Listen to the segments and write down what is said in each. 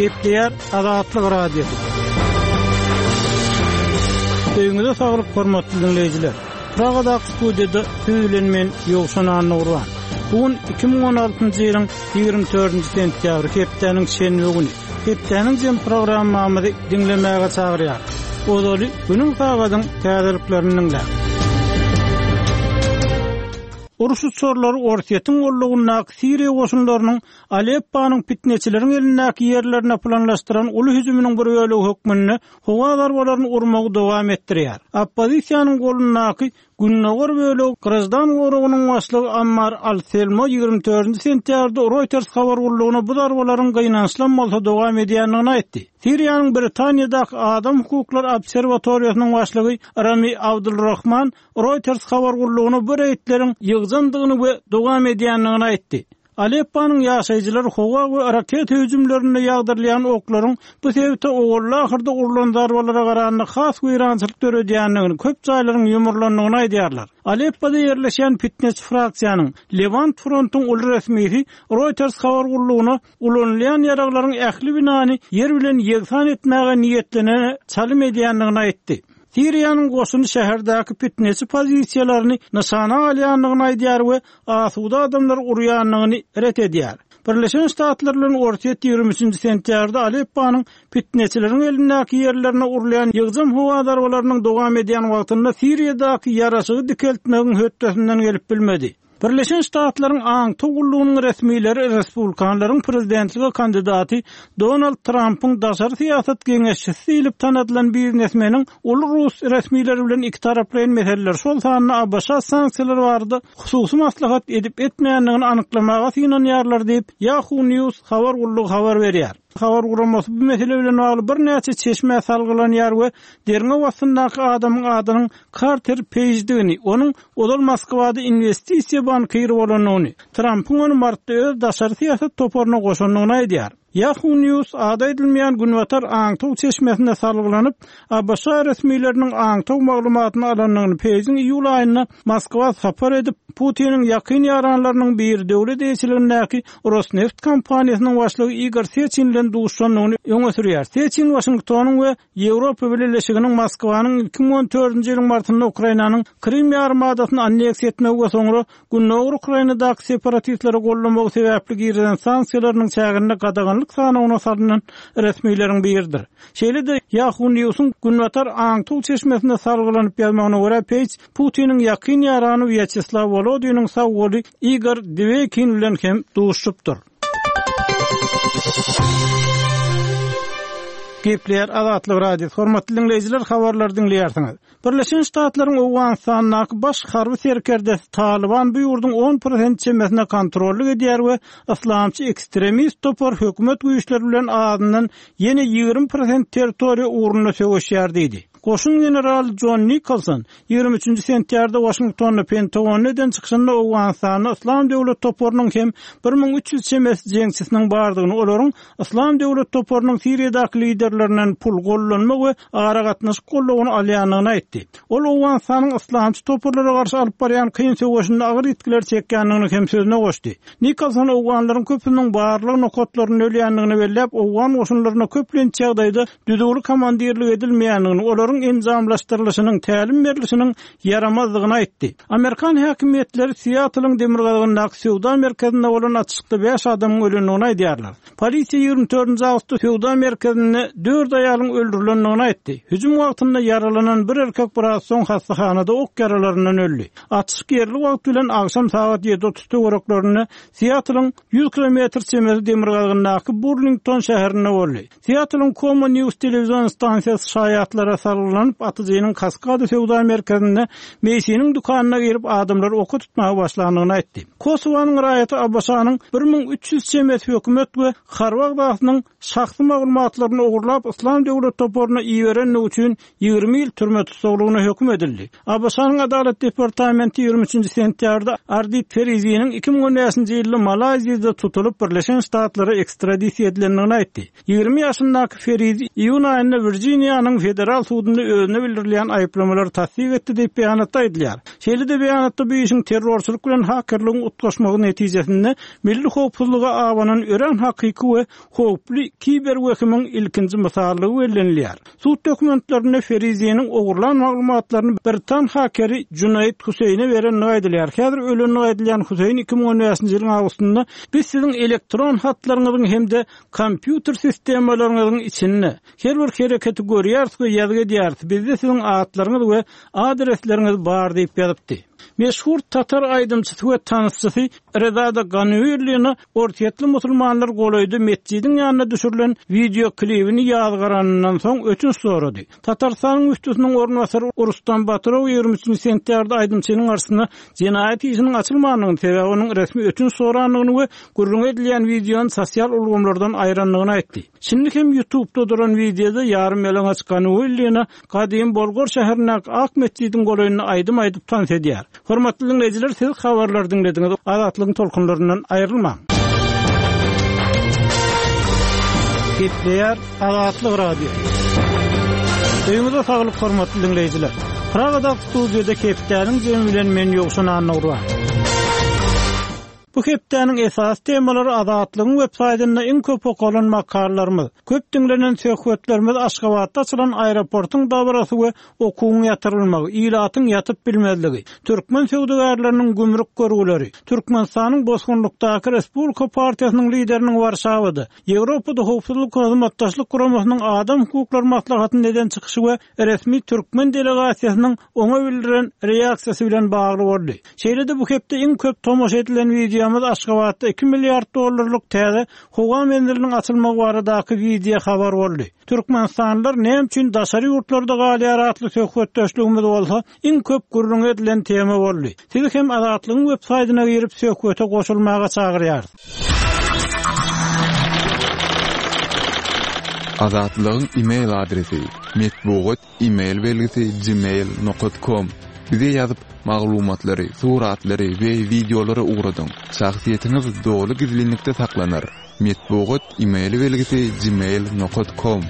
Gepleýär Azatlyk Radiosy. Öýüňize saglyk hormatly diňleýjiler. Pragadaky studiýada siz bilen men Ýowşan Annagurban. Bu gün 2016-njy ýylyň 24-nji sentýabry hepdäniň şenbe güni. Hepdäniň jem programmamyzy diňlemäge çagyrýar. Ozaly günüň sagadyň täzeliklerini diňläň. Uruş uçarlary Orsýetiň gollagyndaky Siriýa goşunlarynyň Alepponyň pitneçileriň elindäki ýerlerine planlaşdyran uly hüjüminiň bir bölegi hökmünde howa zarbalaryny urmagy dowam etdirýär. Oppozisiýanyň golundaky gündogar bölegi graždan goragynyň başlygy Ammar al-Selmo 24 sentýabrda Reuters habar gullugyna bu zarbalaryň gynançlam bolsa dowam edýändigini aýtdy. Siriýanyň Britaniýadaky Adam hukuklary obserwatoriýasynyň başlygy Rami Abdulrahman Reuters habar gullugyna bu reýdleriň ýygjamdygyny we dowam edýändigini aýtdy. Alepponyň ýaşaýjylary howa we raketa hüjümlerinde ýagdyrylýan oklaryň bu sebite owalda-ahyrda urlan zarbalara garanda has weýrançylyk döredýändigini, köp jaýlaryň ýumrulandygyny aýdýarlar. Aleppoda ýerleşýän pitneçi fraksiýanyň, Lewant frontuň uly resmisi Reuters habar gullugyna ulanylýan ýaraglaryň ähli binany ýer bilen ýegsan etmäge niýetlenene çalym edýändigini aýtdy. Siriýanyň goşuny şäherdäki pitneçi pozisiýalaryny nyşana alýandygyny aýdýar we asuda adamlary urýandygyny ret edýär. Birleşen Ştatlar bilen Orsýet 23 sentýabrda Alepponyň pitneçileriň elindäki ýerlerine urulýan ýygjam howa zarbalarynyň dowam edýän wagtynda Siriýadaky ýaraşygy dikeltmegiň hötdesinden gelip bilmedi. Birleşen Ştatlaryň aňtaw gullugynyň resmileri respublikanlaryň prezidentlige kandidaty Donald Trampyň daşary syýasat geňeşçisi diýlip tanadylan biznesmeniň uly rus resmileri bilen ikitaraplaýyn meseleler, şol sanda ABŞ sanksiýalary barada hususy maslahat edip-etmändigini anyklamaga synanýarlar diýip, Yahoo News habar gullugy habar berýär. Habar guramasy bu mesele bilen bagly birnäçe çeşmä salgylanýar we derňew astyndaky adamyň adynyň Karter Peýjdigini, onuň ozal Moskwada inwestisiýa bankiri bolandygyny, Trampyň ony martda öz daşary syýasat toparyna goşandygyny aýdýar. Yahoo News ady aýdylmaýan günbatar aňtaw çeşmesine salgylanyp, ABŞ resmileriniň aňtaw maglumatyny alandygyny, Peýjiň iýul aýynda Moskwa sapar edip, Putiniň ýakyn ýaranlarynyň biri döwlet eýeçiligindäki Rosneft kompaniýasynyň başlygy Igor Seçin bilen duşuşandygyny öňe sürýär. Seçin Waşingtonyň we Ýewropa Bileleşiginiň Moskwanyň 2014-nji ýylyň martynda Ukrainanyň Krym ýarymadasyny anneksiýa etmegi we soňra Gündogar Ukrainadaky separatistleri goldamagy sebäpli girizen sanksiýalarynyň çäginde gadaganlyk sanawyna salnan resmileriň biridir. Şeýle-de, Yahoo News-yň günbatar aňtaw çeşmesine salgylanyp ýazmagyna görä, Peýj Putiniň ýakyn ýarany Wýaçeslaw Wolodiniň sag goly Igor Diweýkin bilen hem duşuşypdyr. Gepleýär Azatlyk Radiosy. Hormatly diňleýjiler, habarlary diňleýärsiňiz. Birleşen Ştatlaryň Owganystandaky baş harby serkerdesi Talyban bu ýurduň on prosent çemesine kontrollyk edýär we yslamçy ekstremist topar hökümet güýçleri bilen azyndan ýene 20 prosent territoriýa ugrunda söweşýär diýdi. Goşun generaly Jon Nikolson 23-nji sentýabrda Waşingtonda Pentagonda eden çykyşynda Owganystanda Yslam döwlet toparynyň hem 1300 çemesi jeňçisiniň bardygyny, olaryň Yslam döwlet toparynyň Siriýadaky liderlerinden pul, gollanma we aragatnaşyk goldawyny alýandygyny aýtdy. Ol Owganystanyň yslamçy toparlara garşy alyp barýan kyn söweşinde agyr ýitgiler çekýändigini hem sözüne goşdy. Nikolson owganlaryň köpüsiniň barlag nokatlarynda ölýändigini belläp, owgan goşunlaryna köplenç ýagdaýda düzüwli komandirlik edilmeýändigini, olaryň enjamlaşdyrylyşynyň, tälim berlişiniň ýaramazdygyny aýtdy. Amerikan häkimiýetleri Siatlyň demirgazygyndaky söwda merkezinde bolan atyşykda bäş adamyň ölendigini aýdýarlar. Polisiýa 24-nji awgustda söwda merkezinde dört aýalyň öldürilendigini aýtdy. Hüjüm wagtynda ýaralanan bir erkek biraz soň hassahanada ok ýaralaryndan öldi. Atyşyk ýerli wagt bilen agşam sagat 7:30 töwereklerinde Siatlyň 100 kilometr çemesi demirgazygyndaky Burlington şäherinde boldy. Siatlyň Komo News telewizion stansiýasy şaýatlara salgylanyp, atyjynyň Kaskada söwda merkezinde Meýsiniň dükanyna girip, adamlary oka tutmaga başlandygyny aýtdy. Kosowanyň raýaty ABŞ-nyň 1300 çemesi hökümet we harby agzasynyň şahsy maglumatlaryny ogurlap, Yslam döwlet toparyna iberendigi üçin 20 ýyl türme tussaglygyna höküm edildi. ABŞ-nyň Adalat departamenti 23-nji sentýabrda Ardit Feriziniň 2015-nji ýylda Malaýziýada tutulyp, Birleşen Ştatlara ekstradisiýa edilendigini aýtdy. 20 ýaşyndaky Ferizi iýun aýynda Wirjiniýanyň federal sudunda. sudunda özüne bildirilýän aýyplamalary tassyk etdi diýip, beýanatda aýdylýar. Şeýle-de beýanatda bu işiň terrorçylyk bilen hakerligiň utgaşmagy netijesinde milli howpsuzlyga abanan örän hakyky we howply kiber wehimiň ilkinji mysallygy bellenilýär. Sud dokumentlerinde Feriziniň ogurlan maglumatlaryny britan hakeri Junaid Huseýne berendigi aýdylýar. Häzir ölendigi aýdylýan Huseýn 2015-nji ýylyň awgustynda Biz siziň elektron hatlaryňyzyň hem-de kompýuter sistemalaryňyzyň içinde her bir hereketi görýäris we ýazgy edýäris. Bizde siziň atlaryňyz we adresleriňiz bar diýip ýazypdy. Meşhur tatar aýdymçysy we tansçysy Rezada Ganuillina orsýetli musulmanlar golaýda metjidiň ýanynda düşürilen wideo klibini ýazgaranyndan soň ötünç sorady. Tatarystanyň müftüsiniň orunbasary Rustam Batyrow 23-nji sentýabrda aýdymçynyň garşysyna jenaýat işiniň açylmandygyny, sebäbi onuň resmi ötünç sorandygyny we gürrüňi edilýän wideony sosial ulgamlardan aýrandygyny aýtdy. Şindi hem ýutubda duran wideoda ýarym ýalaňaç Ganuillina gadymy Bolgar şäherindäki Ak metjidiň golaýynda aýdym aýdyp tans edýär. Hormatly diňleýjiler, siz habarlary diňlediňiz. Azatlygyň tolkunlaryndan aýrylmaň. Gepleýär Azatlyk Radiosy. Öýüňize saglyk hormatly diňleýjiler. Pragadaky studiýada hepdäniň jemi bilen men Ýowşan Annagurban. Bu hepdäniň esasy temalary Azatlygyň web saýtynda iň köp okalan makalalarymyz, köp diňlenen söhbetlerimiz Aşgabatda açylan aeroportyň dabarasy we okuwyň ýatyrylmagy, ilatyň ýatyp bilmezligi, türkmen söwdagärleriniň gümrük görgüleri, Türkmenistanyň bosgunlykdaky Respublika partiýasynyň lideriniň Warşawada, Ýewropada Howpsuzlyk we Hyzmatdaşlyk Guramasynyň Adam hukuklary maslahatynda eden çykyşy we resmi türkmen delegasiýasynyň oňa bildiren reaksiýasy bilen bagly boldy. Şeýle-de bu hepde iň köp tomaşa edilen wideomyz Aşgabatda iki milliard dollarlyk täze howa menziliniň açylmagy baradaky wideo habar boldy. Türkmenistanlylar näme üçin daşary ýurtlarda galýar atly söhbetdeşligimiz bolsa iň köp gürrüňi edilen tema boldy. Sizi hem Azatlygyň web saýdyna girip söhbete goşulmaga çagyrýarys. Azatlygyň e-mail adresi, metbugat e-mail belgisi gmail nokat kom. Bize ýazyp, maglumatlary, suratlary we wideolary ugradyň. Şahsyýetiňiz doly gizlinlikde saklanar. Metbugat e-mail belgisi gmail nokat kom.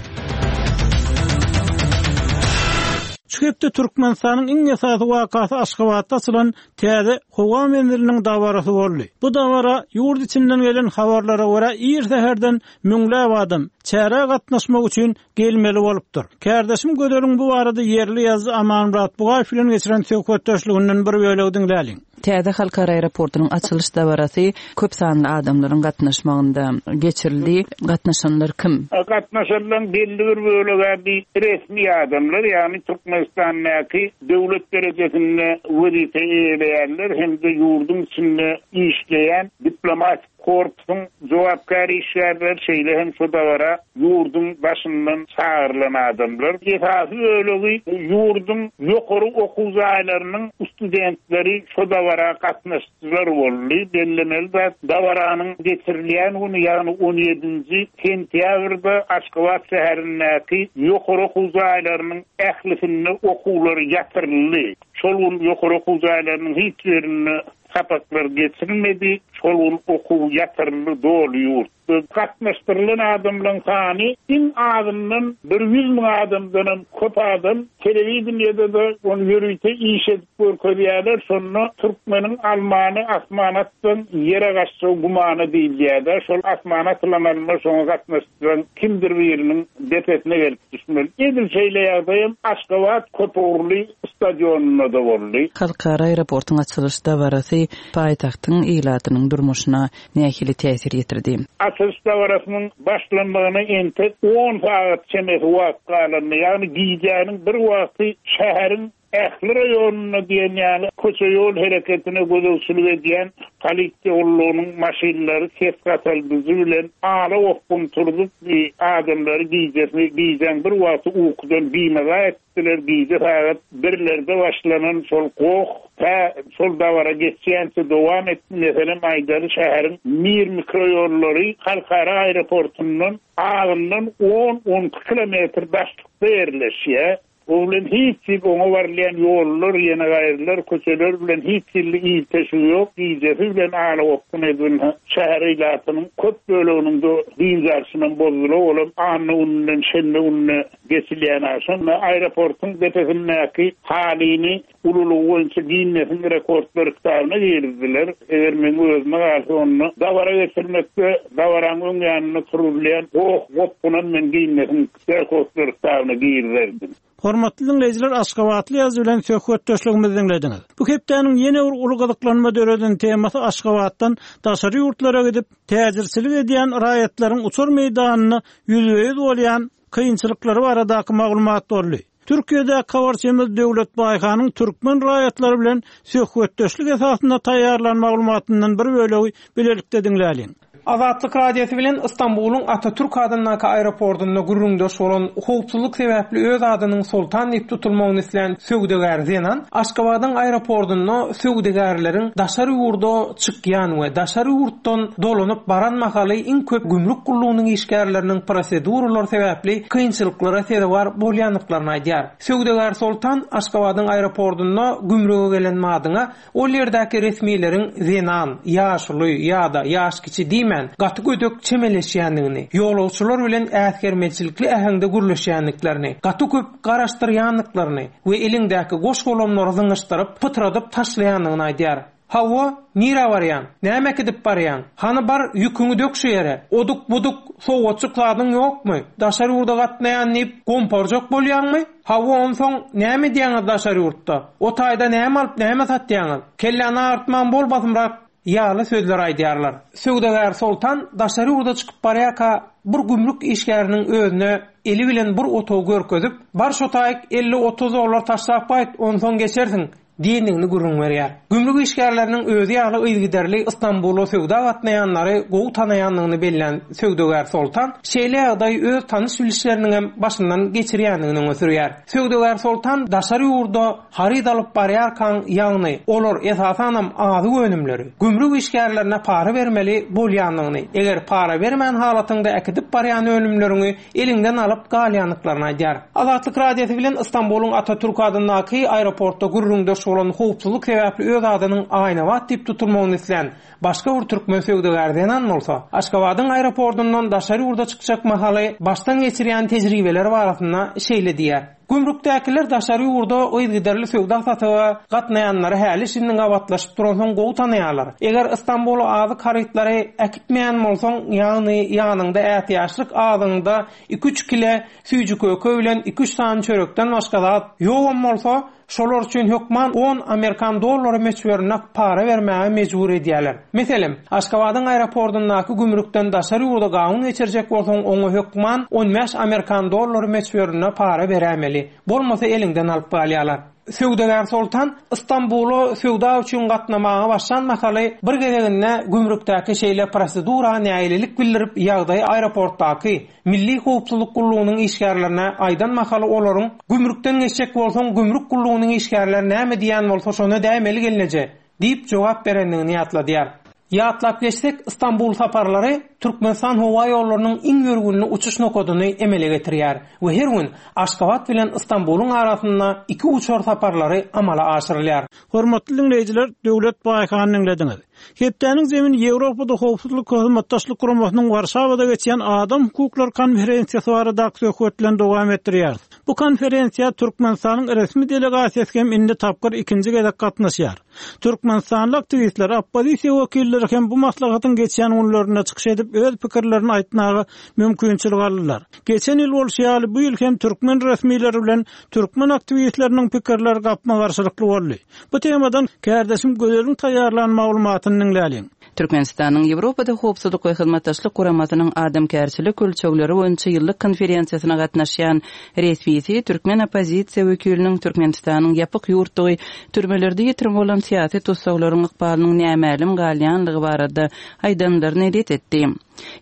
Şu hepde Türkmenistanyň iň esasy wakasy Aşgabatda açylan täze howa menziliniň dabarasy boldy. Bu dabara ýurt içinden gelen habarlara görä ir säherden müňläp adam çärä gatnaşmak üçin gelmeli bolupdyr. Kärdeşim Gözeliň bu barada ýerli ýazyjy Amanmyrat Bugaýew bilen geçiren söhbetdeşliginden bir bölegi diňläliň. Täze halkara aeroportunyň açylyş dabarasy köp sanly adamlaryň gatnaşmagynda geçirildi. Gatnaşanlar kim? Gatnaşanlaryň belli bir bölegi bi resmi adamlar, ýagny Türkmenistandaky döwlet derejesinde wezipe eýeleýänler hem-de ýurduň içinde işleýän diplomatik Korpusyň jogapkär işgärleri, şeýle hem şu dabara ýurduň daşyndan çagyrylan adamlar. Esasy bölegi ýurduň ýokary okuw jaýlarynyň studentleri şu dabara gatnaşyjylar boldy. Bellemeli zat, dabaranyň geçirilýän güni, ýagny on ýedinji sentýabrda Aşgabat şäherindäki ýokary okuw jaýlarynyň ählisinde okuwlar ýatyryldy. Şol gün ýokary okuw jaýlarynyň hiç birinde Sapaklar geçirilmedi, şol gün okuw ýatyryldy doly ýurtda. Gatnaşdyrylan adamlaryň sany iň azyndan bir 100 müň adamdanam köp adam. Telewideniýede-de ony ýörite iş edip görkezýärler, şonda türkmeniň almany asmana atsaň ýere gaçjagy gümana diýilýär-de, şol asmana atylan alma şoňa gatnaşdyran kimdir biriniň depesine gelip düşmeli. Edil şeýle ýagdaýam Aşgabat köpugurly stadionynda-da boldy. Halkara aeroportuň açylyş dabarasy paýtagtyň ilatynyň durmuşyna nähili täsir ýetirdi? Açylyş dabarasynyň başlanmagyna entek on sagat çemesi wagt galanda, ýagny gijäniň bir wagty şäheriň ähli raýonynda diýen ýaly köçe-ýol hereketine gözegçilik edýän polisiýa gullugynyň maşynlary ses gataldyjy bilen ala gopgun turzup, adamlary gijesini gijäň bir wagty ukudan bimaza etdiler. Gije sagat birlerde başlanan şol goh tä şol dabara geçýänçä dowam etdi. Meselem aýdaly, şäheriň Mir mikroýollary halkara aeroportundan azyndan on-on iki kilometr daşlykda ýerleşýär. O bilen hiç hili oňa barylýan ýollar, ýene-gaýrylar, köçeler bilen hiç hili ilteşigi ýok. Gijesi bilen ala-gopgun edildi. Şäher ilatynyň köp böleginiň-de dynç alşynam bozdular. Olam anna gününden şenbe gününe geçilýän agşam. Aeroportyň depesindäki halyny ululygy boýunça Ginnesiň rekordlar kitabyna girizdiler. Eger meň özüme galsa onda dabara geçirmekde dabaraň öň ýanynda turuzylýan goh-gopgunam men Ginnesiň rekordlar kitabyna girizerdim. Hormatly diňleýjiler Aşgabatly ýazyjy bilen söhbetdeşligimizi diňlediňiz. Bu hepdäniň ýene bir uly gyzyklanma döreden temasy Aşgabatdan daşary ýurtlara gidip, täjirçilik edýän raýatlaryň uçar meýdanynda ýüzbe-ýüz bolýan kynçylyklary baradaky maglumat boldy. Türkiýedäki habarçymyz Döwlet Baýhanyň türkmen raýatlary bilen söhbetdeşlik esasynda taýýarlan maglumatyndan bir bölegi bilelikde diňläliň. Azatlyk Radiosy bilen Stambulyň Atatürk adyndaky aeroportunda gürrüňdeş bolan, howpsuzlyk sebäpli öz adynyň Soltan diýip tutulmagyny islän söwdagär zenan Aşgabadyň aeroportunda söwdagärleriň daşary ýurda çykýan we daşary ýurtdan dolanyp baran mahaly iň köp gümrük gullugynyň işgärleriniň proseduralar sebäpli kynçylyklara sezewar bolýandyklaryny aýdýar. Söwdagär Soltan Aşgabadyň aeroportunda gümrüge gelen madyňa ol ýerdäki resmileriň zenan, ýaşuly ýa-da ýaşkiçi diýmän gaty gödek çemeleşýändigini, ýolagçylar bilen äsgermezçilikli äheňde gürleşýändiklerini, gaty köp garaşdyrýandyklaryny we eliňdäki goş-golamlary zyňyşdyryp, pytradyp taşlaýandygyny aýdýar. Hawa, nirä barýaň? Näme äkidip barýaň? Hany bar, ýüküňi dök şu ýere. Oduk-buduk, sowgatjyk zadyň ýokmy? Daşary ýurda gatnaýan diýip, gomparjak bolýaňmy? Hawa, onsoň näme edýäňiz daşary ýurtda? O taýda näme alyp, näme satýaňyz? Kelläni agyrtman bol basymrak ýaly sözleri aýdýarlar. Söwdagär Soltan daşary ýurda çykyp barýarka, bir gümrük işgäriniň özüne eli bilen bir otagy görkezip, Bar şo taýyk 50-30 dollar taşlap gaýt, onsoň geçersiň diýendigini gürrüň berýär. Gümrük işgärleriniň özi ýaly yzygiderli Ystambula söwda gatnaýanlary gowy tanaýandygyny bellän söwdagär Soltan şeýle ýagdaýy öz tanyş-bilişleriniňem başyndan geçirýändigini öňe sürýär. Söwdagär Soltan daşary ýurda haryt alyp barýarkaň, ýagny olar esasanam azyk önümleri, gümrük işgärlerine para bermeli bolýandygyny, eger para bermän halatyňda äkidip barýan önümleriňi eliňden alyp galýandyklaryny aýdýar. Azatlyk Radiosy bilen Ystambulyň Atatürk adyndaky aeroportda gürrüňdeş bolan howpsuzlyk sebäpli öz adynyň Aýnabat diýip tutulmagyny islän başga bir türkmen söwdagär zenan bolsa, Aşgabadyň aeroportyndan daşary ýurda çykjak mahaly başdan geçirýän tejribeleri barasynda şeýle diýýär, Gümrükdäkiler daşary ýurda yzygiderli söwda-satyga gatnaýanlary häli-şindi gabatlaşyp duransoň gowy tanaýarlar. Eger Ystambula azyk harytlary äkitmeýän bolsaň, ýagny ýanyňda ätiýaçlyk azygyňda iki-üç kile süýji-köke bilen iki-üç sany çörekden başga zat ýogam bolsa, şolar üçin hökman on amerikan dollary möçberinde para bermäge mejbur edýärler. Meselem, Aşgabadyň aeroportyndaky gümrükden daşary ýurda gawun geçirjek bolsaň, oňa hökman on bäş amerikan dollary möçberinde para beräýmeli, bolmasa eliňden alyp galýarlar. Söwdagär Soltan Ystambula söwda üçin gatnamaga başlan mahaly bir gezeginde gümrükdäki şeýle prosedura nägilelik bildirip, ýagdaýy aeroportdaky Milli howpsuzlyk gullugynyň işgärlerine aýdan mahaly olaryň, Gümrükden geçjek bolsaň, gümrük gullugynyň işgärleri näme diýýän bolsa şony edäýmeli gelneje! Diýip jogap berendigini ýatladýar. Ýatlap geçsek, Stambul saparlary Türkmenistan howa ýollarynyň iň ýörgünli uçuş nokadyny emele getirýär we her gün Aşgabat bilen Stambulyň arasynda iki uçar saparlary amala aşyrylýar. Hormatly diňleýjiler, Döwlet Baýhany diňlediňiz. Hepdäniň zemini Ýewropada Howpsuzlyk we Hyzmatdaşlyk Guramasynyň Warşawada geçýän Adam hukuklary konferensiýasy baradaky söhbet bilen dowam etdirýäris. Bu konferensiýa Türkmenistanyň resmi delegasiýasy hem indi tapgyr ikinji gezek gatnaşýar. Türkmenistanly aktiwistler, oppozisiýa wekilleri hem bu maslahatyň geçýän günlerinde çykyş edip, öz pikirlerini aýtmaga mümkinçilik aldylar. Geçen ýyl bolşy ýaly, bu ýyl hem türkmen resmileri bilen türkmen aktiwistleriniň pikirleri gapma-garşylykly boldy. Bu temadan kärdeşim Gözeliň taýýarlan maglumatyny diňläliň. Türkmenistanyň Ýewropada Howpsuzlyk we Hyzmatdaşlyk Guramasynyň adamkärçilik ölçegleri boýunça ýyllyk konferensiýasyna gatnaşýan resmisi türkmen oppozisiýa wekiliniň Türkmenistanyň ýapyk ýurtdugy, türmelerde ýitirim bolan syýasy tussaglaryň ykbalynyň nämälim galýanlygy barada aýdanlaryny ret etdi.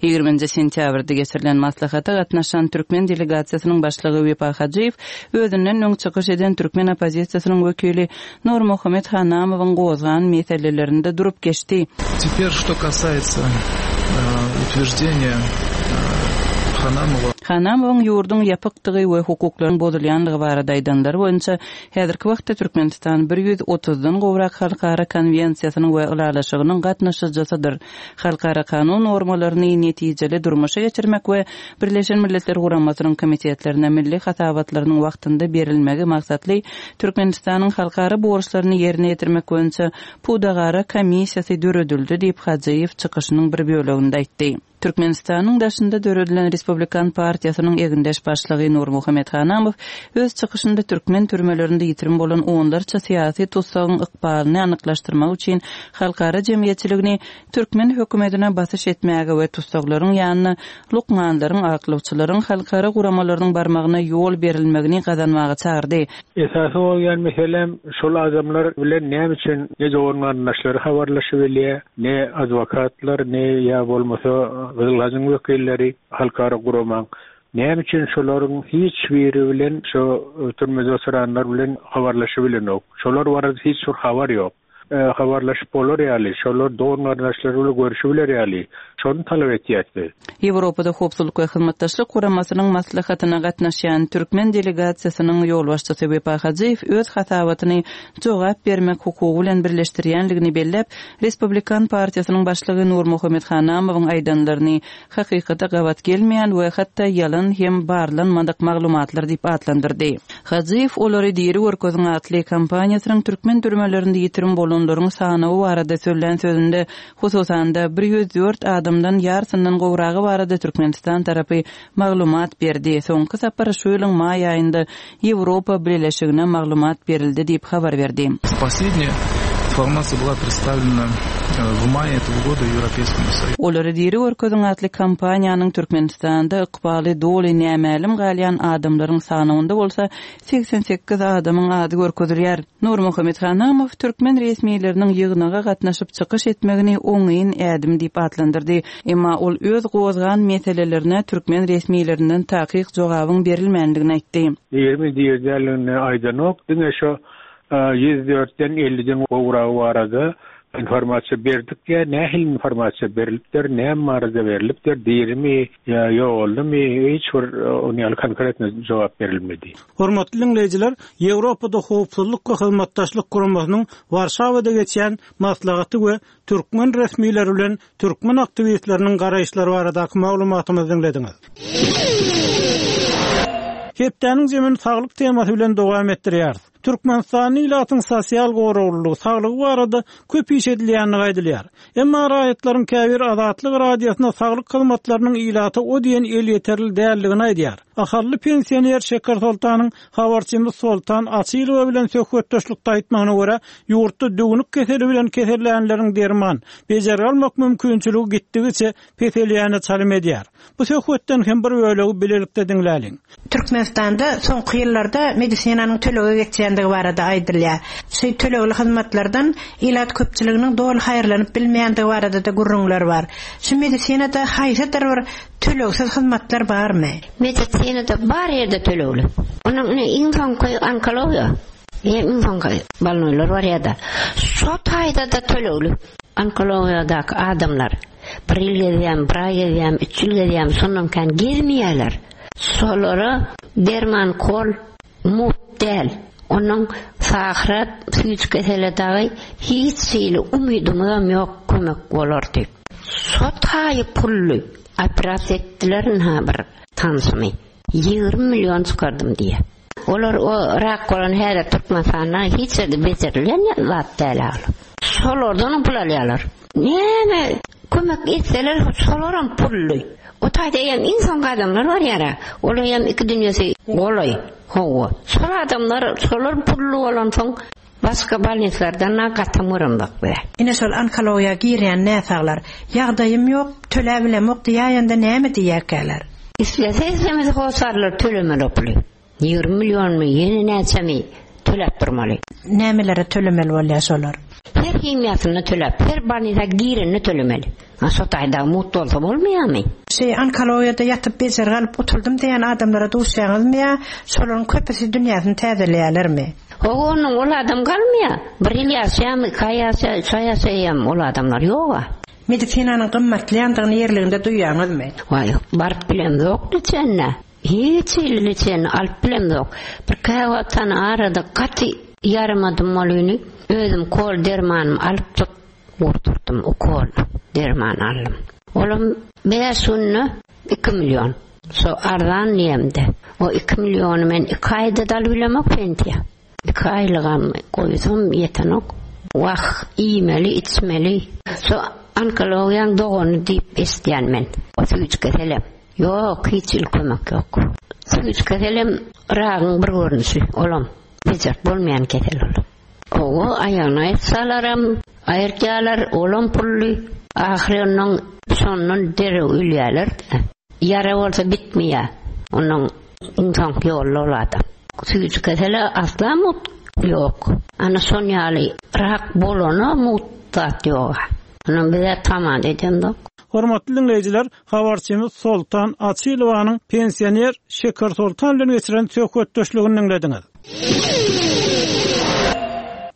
Ýigriminji sentýabrda geçirilen maslahata gatnaşan türkmen delegasiýasynyň başlygy Wepa Hajyýew özünden öň çykyş eden türkmen oppozisiýasynyň wekili Nurmuhammet Hanamowyň gozgan meselelerinde durup geçdi. Teper, что касается утверждения. Hanamowa. Hanamowyň ýurduň ýapykdygy we hukuklaryň bozulýanlygy barada aýdanlary boýunça häzirki wagtda Türkmenistan bir 130-dan gowrak halkara konwensiýasynyň we ylalaşygynyň gatnaşyjysydyr. Halkara kanun normalaryny netijeli durmuşa geçirmek we Birleşen Milletler Guramasynyň komitetlerine milli hasabatlarynyň wagtynda berilmegi maksatly Türkmenistanyň halkara borçlaryny ýerine ýetirmek boýunça Pudagara komissiýasy döredildi diýip, Hajyýew çykyşynyň bir böleginde aýtdy. Türkmenistanyň daşynda döredilen Respublikan partiýasynyň egindeş başlygy Nurmuhammet Hanamow öz çykyşynda türkmen türmelerinde ýitirim bolan onlarça syýasy tussagyň ykbalyny anyklaşdyrmak üçin halkara jemgyýetçiligini türkmen hökümetine basyş etmäge we tussaglaryň ýanyna lukmanlaryň, aklawçylaryň, halkara guramalarynyň barmagyna ýol berilmegini gazanmaga çagyrdy. Esasy bolýan meselem şol adamlar bilen näme üçin ne dogan-garyndaşlary habarlaşybilýär, ne adwokatlar, ne ýa bolmasa Gyzyl Hajyň wekilleri, halkara guramaň. Näme üçin şolaryň hiç biri bilen şo türmede oturanlar bilen habarlaşybilenok. Şolar barada hiç bir habar ýok. Habarlaşyp bolar ýaly, şolar dogan-garyndaşlary bilen görüşibiler ýaly, şony talap etýäs biz. Ýewropada Howpsuzlyk we Hyzmatdaşlyk Guramasynyň maslahatyna gatnaşýan türkmen delegasiýasynyň ýolbaşçysy Wepa Hajyýew öz hasabatyny jogap bermek hukugy bilen birleşdirýänligini belläp, Respublikan partiýasynyň başlygy Nurmuhammet Hanamowyň aýdanlaryny hakykata gabat gelmeýän we hatda ýalan hem barlanmadyk maglumatlar diýip atlandyrdy. Hajyýew Olary diri görkeziň atly kampaniýasynyň türkmen türmelerinde ýitirim bolanlaryň sanawy barada sözlän sözünde, hususan-da, 104 adamdan ýarsyndan gowragy barada Türkmenistan tarapy maglumat berdi, soňky sapar şu ýylyň maý aýynda Ýewropa Bileleşigine maglumat berildi diýip habar berdi. Последняя информация была представлена в мае этого года Европейскому Союзу. Olary diri görkeziň atly kampaniýanyň Türkmenistanda ykbaly doly nämälim galýan adamlaryň sanawynda bolsa 88 adamyň ady görkezilýär. Nurmuhammet Hanamow türkmen resmileriniň ýygnaga gatnaşyp çykyş etmegini oňyn ädim diýip atlandyrdy. Emma ol öz gozgan meselelerine türkmen resmilerinden takyk jogabyň berilmändigini aýtdy. Dirimi diri däldigini aýdanok, diňe şo 104-den 50-den gowragy barada informasiýa berdik diýýär. Nähili informasiýa berilipdir, näme barada berilipdir, dirimi ýa ýogaldymy, hiç bir onuň ýaly konkretno jogap berilmedi. Hormatly diňleýjiler, Ýewropada Howpsuzlyk we Hyzmatdaşlyk Guramasynyň Warşawada geçýän maslahaty we türkmen resmileri bilen türkmen aktiwistleriniň garaýyşlary baradaky maglumatymyzy diňlediňiz. Hepdäniň jemini saglyk temasy bilen dowam etdirýäris. Türkmenistanda ilatyň sosial goraglylygy, saglygy barada köp iş edilýändigi aýdylýar. Emma raýatlaryň käbiri Azatlyk Radiosyna saglyk hyzmatlarynyň ilata o diýen elýeterli däldigini aýdýar. Ahally pensioner Şeker Soltanyň habarçymyz Soltan Açylowa bilen söhbetdeşlikde aýtmagyna görä, ýurtda düwnük keseli bilen kesellänleriň derman, bejergi almak mümkinçiligi gitdigiçe peselýäne çalym edýär. Bu söhbetden hem bir bölegi bilelikde diňläliň. Türkmenistanda soňky ýyllarda medisinanyň tölege geçýändigi barada aýdylýar. Şu tölegli hyzmatlardan ilat köpçüliginiň doly haýyrlanyp bilmeýändigi barada-da gürrüňler bar. Şu medisinada haýsydyr bir tölegsiz hyzmatlar barmy? Medisinada bar ýerde tölegli. Onuň ine iň soňky onkologiýa, iň soňky bolnoýlar barýada. Şo taýda-da tölegli. Onkologiýadaky adamlar bir ýyl gezýärmi, bir aý gezýärmi, üç ýyl gezýärmi, şondan kän gezmeýärler. Şolara derman kol mugt däl. Onuň sahra süýji kesele dagy hiç hili umydymyzam ýok kömek bolar diýip. Şo taýy pully operasiýa etdiler ynha bir tanşymy. 20 million çykardym diýýär. Olar o rak bolan häzir Türkmenistanda hiç ýerde bejerilýän zat däl ol. Şolardanam pul alýarlar. Näme kömek etseler şolaram pully. O taýda eýýäm iň soňky adamlar barýara. Olar eýýäm iki dünýesi golaý. Hawa. Şol adamlar şolar pully bolansoň başga bolnislardan-a gatam göremzok biz. Ine şol onkologiýa girýän näsaglar ýagdaýym ýok, töläbilemok diýäýende näme diýýärkäler? Islese islemese hossarlar tölemeli o puly. 20 millionmy, ýene näçemi töläp durmaly. Nämelere tölemeli bolýar şolar? Her himiýasyny töläp, her bolnisa girenini tölemeli. A şo taýda mugt bolsa bolmaýarmy? Şeý onkologiýada ýatyp bejergi alyp gutuldym diýýän adamlara duşýaňyzmy ýa şolaryň köpüsi dünýäsini täzeleýärlermi? Hawa onnoň ol adam galmaýar. Bir ýyl ýaşaýarmy, iki aý ýaşaýar, üç aý ýaşaýarmy ol adamlar ýoga. Medisinanyň gymmatlaýandygyny ýerliginde duýýaňyzmy? Waý, baryp bilemzok liçenine. Hiç hili liçenini alyp bilemzok. Bir käwagt hany arada gaty ýaramadym bolyny, özüm kol dermanymy alypjyk urdurdym, ukol derman aldym. Olam bäş günde 2 million. Şo arzan diýemde. O 2 milliony men 2 aýda-da alyp bilemok pensiýa. 2 aýlygam goýsam ýetenok. Wah, iýmeli, içmeli. Şo onkologiýaň dogany diýip eşidýän men. O süýji keselem. Ýok, hiç hili kömek ýok. Süýji keselem ragyň bir görnüşi, olam bejerip bolmaýan kesel ol. Hawa, aýagyny aýyrtsalaram, aýyrtýarlar, olam pully. Ahyry onnoň şondan derrew ölýärler-de. Ýara bolsa bitmeýär. Onnoň iň soňky ýolda ol adam. Süýji kesele asla mugt ýok. Ana şon ýaly rak bolana mugt zat ýog-a. Onnoň biz-ä tama-da edemzok. Hormatly diňleýjiler, habarçymyz Soltan Açylowanyň pensioner Şeker Soltan bilen geçiren söhbetdeşligini diňlediňiz.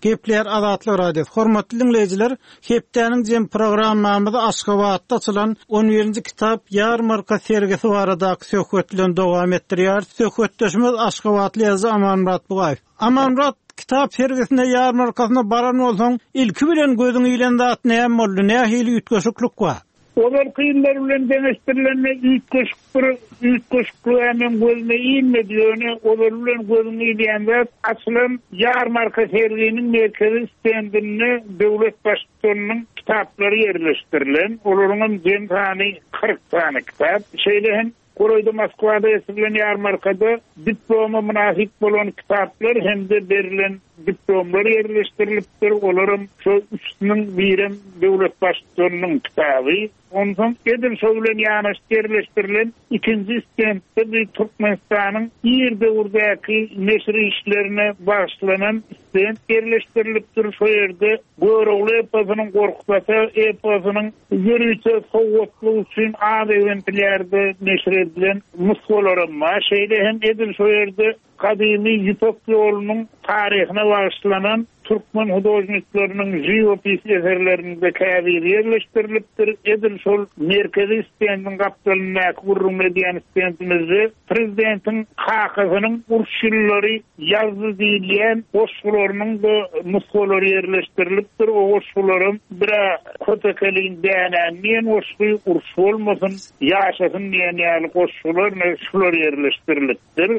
Gepleýär Azatlyk Radiosy. Hormatly diňleýjiler, hepdäniň jem programmamyzy Aşgabatda açylan on birinji kitap ýarmarka sergisi baradaky söhbet bilen dowam etdirýäris. Söhbetdeşimiz aşgabatly ýazyjy Amanmyrat Bugaýew. Amanmyrat, kitap sergisine, ýarmarkasyna baran bolsaň, ilki bilen gözüňe ilen zat näme boldy, nähili üýtgeşiklik bar? Ozalky ýyllar bilen deňeşdirilende üýtgeşik bir üýtgeşiklig-ä meň gözüme ilmedi, ýöne ozaly bilen gözüňe ilýän zat, açylan ýarmarka serginiň merkezi stendinde döwlet Baştutanynyň kitaplary ýerleşdirilen, olaryňam jem sany 40 sany kitap. Şeýle hem golaýda Moskwada geçirilen ýarmarkada diploma mynasyp bolan kitaplar hem-de berlen diplomlar ýerleşdirilipdir, olaram şo üçüsiniň birem döwlet Baştutanynyň kitaby. Onsoň edil şo bilen ýanaşyk ýerleşdirilen ikinji stendde bir Türkmenistanyň ir döwürdäki neşir işlerine bagyşlanan stend ýerleşdirilipdir. Şo ýerde Görogly eposynyň, Gorkut ata eposynyň ýörite sowgatlyk üçin az ekzemplýarda neşir edilen nusgalaram bar. Şeýle hem edil şo ýerde Gadymy Ýüpek ýolunyň taryhyna bagyşlanan türkmen hudožnikleriniň žiwopis eserlerinde käbiri ýerleşdirilipdir. Edil şol merkezi stendiň gapdalyndaky gürrüňini edýän stendimizde prezidentiň kakasynyň uruş ýyllary ýazdy diýilýän goşgularynyň-da nusgalary ýerleşdirilipdir. O goşgularam bir-ä Köpekeliň dänäni diýen goşgy, Uruş bolmasyn, ýaşasyn diýen ýaly goşgular, şular ýerleşdirilipdir.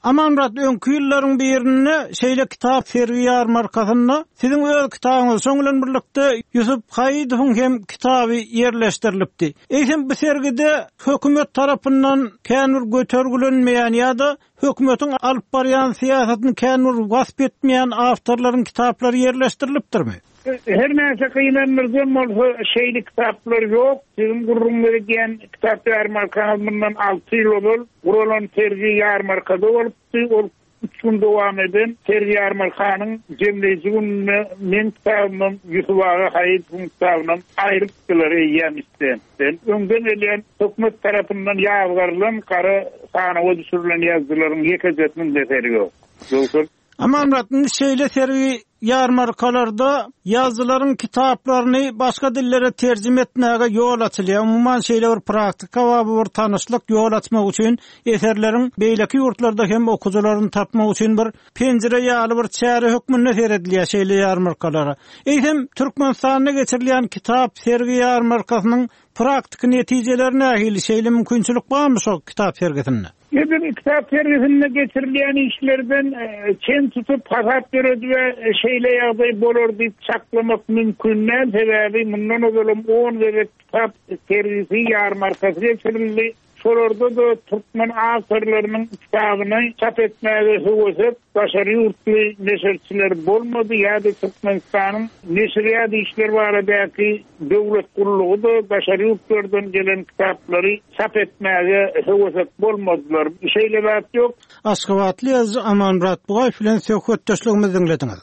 Amanmyrat, öňki ýyllaryň birinde şeýle kitap sergi-ýarmarkasynda siziň öz kitabyňyz, şoň bilen birlikde Ýusup Haýydowyň hem kitaby ýerleşdirilipdi. Eýsem, bu sergide hökümet tarapyndan kän bir götergilenmeýän ýa-da hökümetiň alyp barýan syýasatyny kän bir wasp etmeýän awtorlaryň kitaplary ýerleşdirilipdirmi? Her näçe gynandyryjam bolsa, şeýle kitaplar ýok. Siziň gürrüňini edýän kitap ýarmarkaňyz mundan alty ýyl ozal guralan sergi ýarmarkada bolupdy. Ol üç gün dowam eden sergi ýarmarkanyň jemleýji gününde meň kitabymam, Ýusup aga Haýytowyň kitabynam aýrypdylar eýýäm stendden. Öňden gelýän hökümet tarapyndan ýazgarylan gara sanawa düşürilen ýazyjylaryň ýekejesiniň eseri ýok. Ýogsa. Amanmyrat, indi şeýle sergi ýarmarkalarda ýazyjylaryň kitaplaryny başga dillere terjime etmäge ýol açylýar. Umuman, şeýle bir praktika bar, bu bir tanyşlyk, ýol açmak üçin, eserleriň beýleki ýurtlarda hem okyjylaryny tapmak üçin bir penjire ýaly bir çäre hökmünde seredilýär şeýle ýarmarkalara. Eýsem, Türkmenistanda geçirilýän kitap sergi ýarmarkasynyň praktiki netijeleri nähili, şeýle mümkinçilik barmy şo kitap sergisinde? Edil kitap sergisinde geçirilýän işlerden çen tutup, hasap ýöredip-ä şeýle ýagdaý bolar diýip çaklamak mümkin däl. Sebäbi mundan ozalam on gezek kitap sergisi, ýarmarkasy geçirildi. Şolarda-da türkmen awtorlarynyň kitabyny çap etmäge höwesek daşary ýurtly neşirçiler bolmady ýa-da Türkmenistanyň neşirýat işleri baradaky döwlet gullugy-da daşary ýurtlardan gelen kitaplary çap etmäge höwesek bolmadylar. Şeýle zat ýok. Aşgabatly ýazyjy Amanmyrat Bugaýew bilen söhbetdeşligimizi diňlediňiz.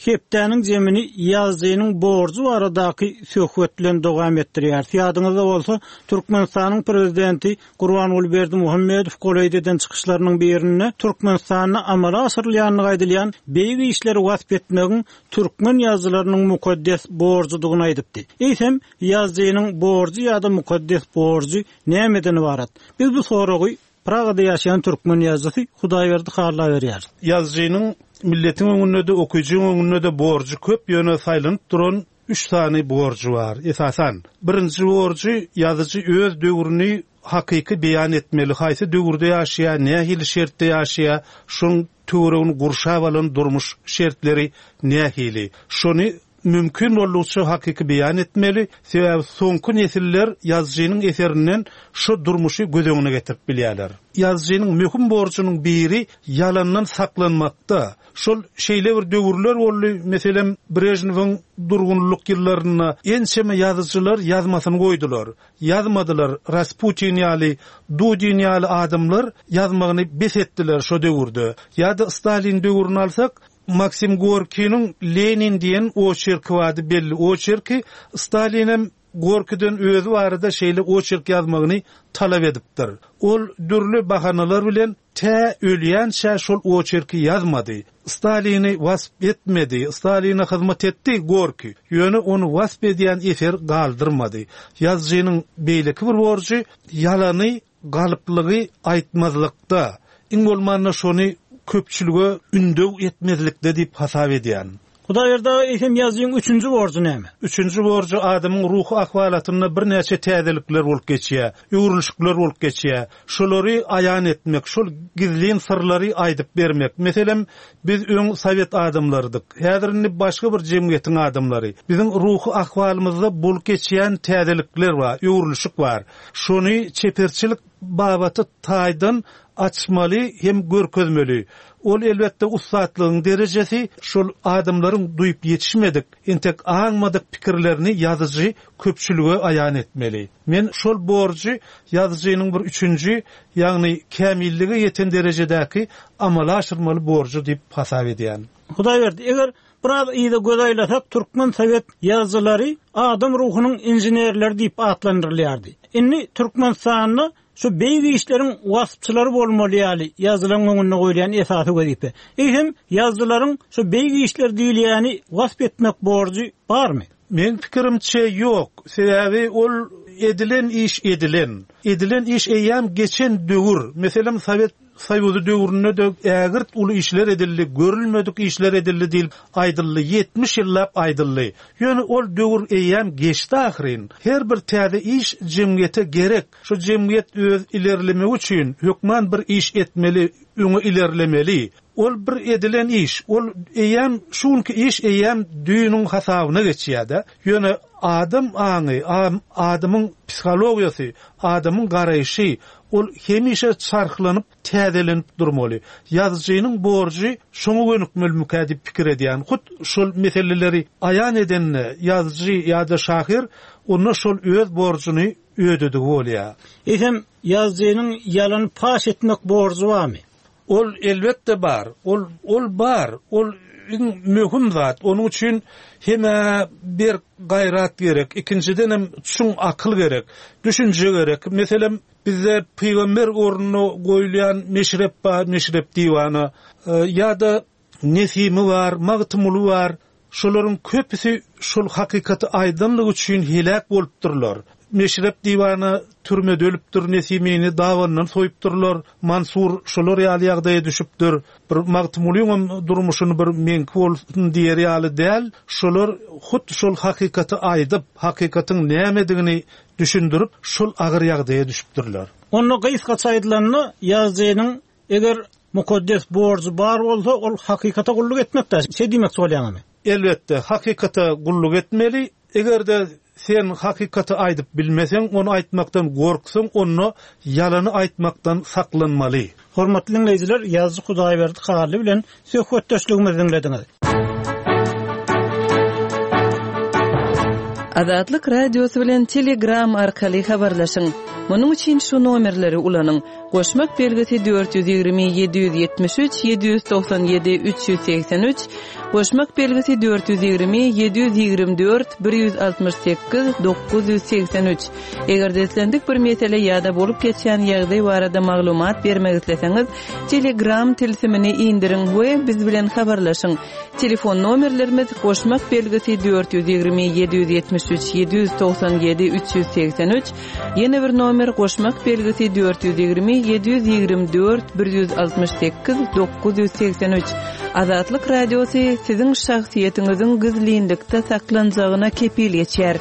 Hepdäniň jemini ýazyjynyň borjy baradaky söhbet bilen dowam etdirýäris. Ýadyňyzda bolsa, Türkmenistanyň Prezidenti Gurbanguly Berdimuhamedow golaýda eden çykyşlarynyň birinde Türkmenistanda amala aşyrylýandygy aýdylýan beýik işleri wasp etmegiň türkmen ýazyjylarynyň mukaddes borjudygyny aýdypdy. Eýsem, ýazyjynyň borjy ýa-da mukaddes borjy nämeden ybarat? Biz bu soragy Pragada ýaşaýan türkmen ýazyjysy Hudaýberdi Halla berýär. Ýazyjynyň milletiň öňünde-de, okyjyň öňünde-de borjy köp, ýöne saýlanyp duran üç sany borjy bar, esasan. Birinji borjy, ýazyjy öz döwrüni hakyky beýan etmeli, haýsy döwürde ýaşaýar, nähili şertde ýaşaýar, şoň töweregini gurşap alan durmuş şertleri nähili, şony mümkin boldugyça hakyky beýan etmeli, sebäbi soňky nesiller ýazyjynyň eserinden şo durmuşy göz öňüne getirip bilýärler. Ýazyjynyň möhüm borjunyň biri ýalandan saklanmakda. Şol şeýle bir döwürler boldy, meselem, Brežnewiň durgunlyk ýyllarynda ençeme ýazyjylar ýazmasyny goýdular. Ýazmadylar, Rasputin ýaly, Dudin ýaly adamlar ýazmagyny bes etdiler şo döwürde. Ýa-da Stalin döwrüni alsak, Maksim Gorkiniň Lenin diýen oçerki bardy, belli oçerki. Stalinem Gorkiden özi barada şeýle oçerk ýazmagyny talap edipdir. Ol dürli bahanalar bilen tä ölýänçä şol oçerki ýazmady. Stalini wasp etmedi. Staline hyzmat etdi Gorki, ýöne ony wasp edýän eser galdyrmady. Ýazyjynyň beýleki bir borjy ýalany Galyplygy aýtmazlykda, iň bolmanda şony köpçülige ündew etmezlikde diýip hasap edýän. Hudaýberdi aga, eýsem ýazyjyň üçünji borjy näme? Üçünji borjy adamyň ruhy ahwalatynda birnäçe täzelikler bolup geçýär, öwrülişikler bolup geçýär. Şolary aýan etmek, şol gizlin syrlary aýdyp bermek. Meselem, biz öň sowet adamlarydyk. Häzir indi başga bir jemgyýetiň adamlary. Biziň ruhy ahwalymyzda bolup geçýän täzelikler bar, öwrülişik bar. Şony çeperçilik babaty taýdan açmaly hem görkezmeli. Ol elbetde ussatlygyň derejesi, şol adamlaryň duýup ýetişmedik, entek aňmadyk pikirlerini ýazyjy köpçülige aýan etmeli. Men şol borjy ýazyjynyň bir üçünji, ýagny kämillige ýeten derejedäki amala aşyrmaly borjy diýip hasap edýän. Hudaýberdi, eger Biraz yza göz aýlasak, türkmen sowet ýazyjylary adam ruhunyň inženerleri diýip atlandyrylýardy. Indi Türkmenistanda şu beýik işleriň waspçylary bolmaly ýaly ýazyjylaryň öňünde goýulýan esasy wezipe. Eýsem, ýazyjylaryň şu beýik işler diýilýäni wasp etmek borjy barmy? Meň pikirimçe, ýok. Sebäbi ol edilen iş edilen. Edilen iş eýýäm geçen döwür. Meselem, sowet Soýuzy döwründe-de ägirt uly işler edildi, görülmedik işler edildi diýlip aýdyldy, 70 ýyllap aýdyldy. Ýöne ol döwür eýýäm geçdi ahyryn. Her bir täze iş jemgyýete gerek. Şu jemgyýet öz ilerlemegi üçin hökman bir iş etmeli, öňe ilerlemeli. Ol bir edilen iş. Ol eýýäm şu günki iş eýýäm düýnüň hasabyna geçýär-de. Ýöne adam aňy, adamyň psihologiýasy, adamyň garaýşy, Ol hemişe çarhlanyp, täzelenip durmaly. Ýazyjynyň borjy şoňa gönükmelimikä diýip pikir edýän. Hut şol meseleleri aýan edende ýazyjy ýa-da şahyr onda şol öz borjuny ödedigi bolýar. Eýsem, ýazyjynyň ýalany paş etmek borjy barmy? Ol elbetde bar. Ol ol bar. Ol iň möhüm zat. Onuň üçin hem-ä berk gaýrat gerek, ikinjidenem çuň akyl gerek, düşünje gerek. Meselem, bizde pygamber ornuna goýulýan Meşrep bar, Meşrep diwana. Ýa-da Nesimi bar, Magtymguly bar. Şolaryň köpüsi şol hakykaty aýdanlygy üçin heläk bolupdyrlar. Meşrep diwana türmede ölüpdir, Nesimini dabanyndan soýupdyrlar, Mansur şolar ýaly ýagdaýa düşüpdir. Bir Magtymgulyňam durmuşyny bir meňki bolsun diýer ýaly däl, şolar hut şol hakykaty aýdyp, hakykatyň nämedigini düşündirip, şol agyr ýagdaýa düşüpdirler. Onda gysgaça aýdylanda, ýazyjynyň Eger mukaddes borjy bar bolsa, ol hakykata gulluk etmekdä, şeý diýmekçi bolýaňyzmy? Elbetde, hakykata gulluk etmeli. Eger-de sen hakykaty aýdyp bilmeseň, ony aýtmakdan gorksaň, onda ýalany aýtmakdan saklanmaly. Hormatly diňleýjiler, ýazyjy Hudaýberdi Hally bilen söhbetdeşligimizi diňlediňiz. Azatlyk Radiosy bilen Telegram arkaly habarlaşyň. Munuň üçin şu nomerleri ulanyň, goşmak belgisi 420 773 797 383, goşmak belgisi 420 724 168 983. Eger-de islendik bir mesele ýa-da bolup geçýän ýagdaý barada maglumat bermek isleseňiz, Telegram tilsimini indiriň we biz bilen habarlaşyň. Telefon nomerlerimiz, goşmak belgisi 420 773 797 383, ýene bir nomer goşmak belgisi 420 724 168 983. Azatlyk Radiosy siziň şahsyýetiňiziň gizlinlikde saklanjagyna kepil geçýär.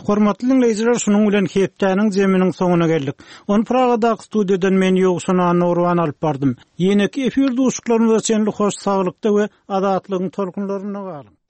Hormatly diňleýjiler, şunuň bilen hepdäniň jeminiň soňuna geldik. Ony Pragadaky studiýadan men Ýowşan Annagurban alyp bardym. Ýeneki efir duşuşyklarymyza çenli hoş saglykda we azatlygyň tolkunlarynda galyň!